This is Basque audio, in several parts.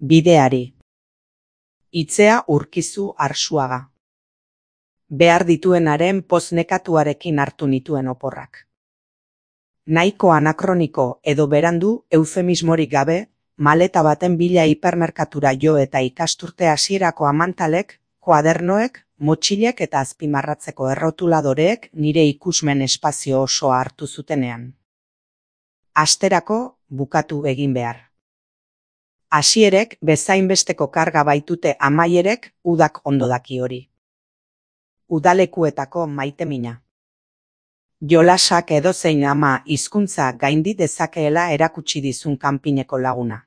Bideari. Itzea Urkizu Arsuaga. Behar dituenaren poz nekatuarekin hartu nituen oporrak. Nahiko anakroniko edo berandu eufemismorik gabe, maleta baten bila hipermerkatura jo eta ikasturte hasierako amantalek, kuadernoek, motxilek eta azpimarratzeko errotuladoreek nire ikusmen espazio osoa hartu zutenean. Asterako bukatu egin behar. Hasierek bezainbesteko karga baitute amaierek udak ondo daki hori. Udalekuetako maitemina. Jolasak edozein ama hizkuntza gaindi dezakeela erakutsi dizun kanpineko laguna.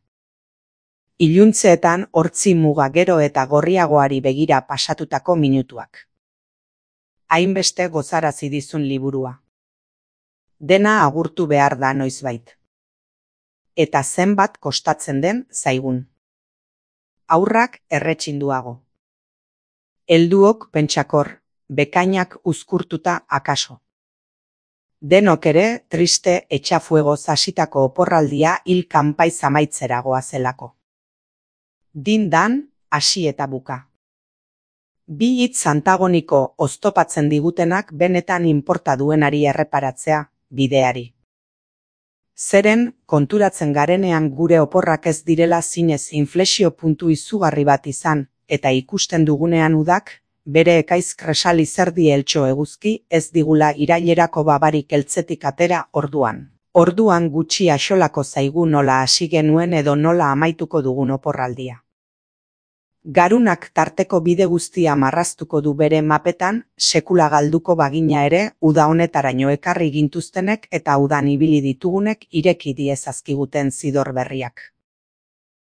Iluntzeetan hortzi muga gero eta gorriagoari begira pasatutako minutuak. Hainbeste gozarazi dizun liburua. Dena agurtu behar da noizbait. Eta zenbat kostatzen den zaigun. Haurrak erretxinduago. Helduok pentsakor, bekainak uzkurtuta akaso. Denok ere triste etxafuegoz hasitako oporraldia hil kanpaiz amaitzera goazelako. Dindan, hasi eta buka. Bi hitz antagoniko oztopatzen digutenak benetan inporta duenari erreparatzea, bideari. Zeren, konturatzen garenean gure oporrak ez direla zinez inflexio puntu izugarri bat izan, eta ikusten dugunean udak, bere ekaiz kresali zerdi eltxo eguzki ez digula irailerako babarik eltzetik atera orduan. Orduan gutxi axolako zaigu nola hasi genuen edo nola amaituko dugun oporraldia. Garunak tarteko bide guztia marraztuko du bere mapetan, sekula galduko bagina ere, uda honetaraino ekarri gintuztenek eta udan ibili ditugunek ireki diezazkiguten zidor berriak.